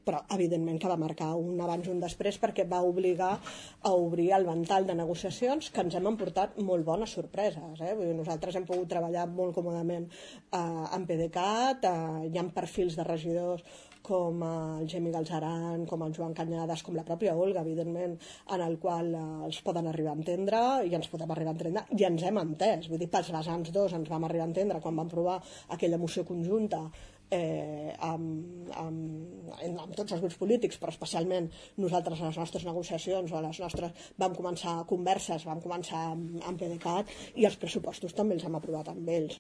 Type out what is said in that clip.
però evidentment que va marcar un abans i un després perquè va obligar a obrir el ventall de negociacions que ens hem emportat molt bones sorpreses. Vull dir, nosaltres hem pogut treballar molt còmodament amb PDeCAT, hi ha perfils de regidors com el Gemi Galzeran, com el Joan Cañadas, com la pròpia Olga, evidentment, en el qual els poden arribar a entendre i ens podem arribar a entendre i ens hem entès. Vull dir, pels vessants dos ens vam arribar a entendre quan vam provar aquella moció conjunta amb tots els grups polítics, però especialment nosaltres a les nostres negociacions o a les nostres vam començar converses, vam començar amb PDeCAT i els pressupostos també els hem aprovat amb ells.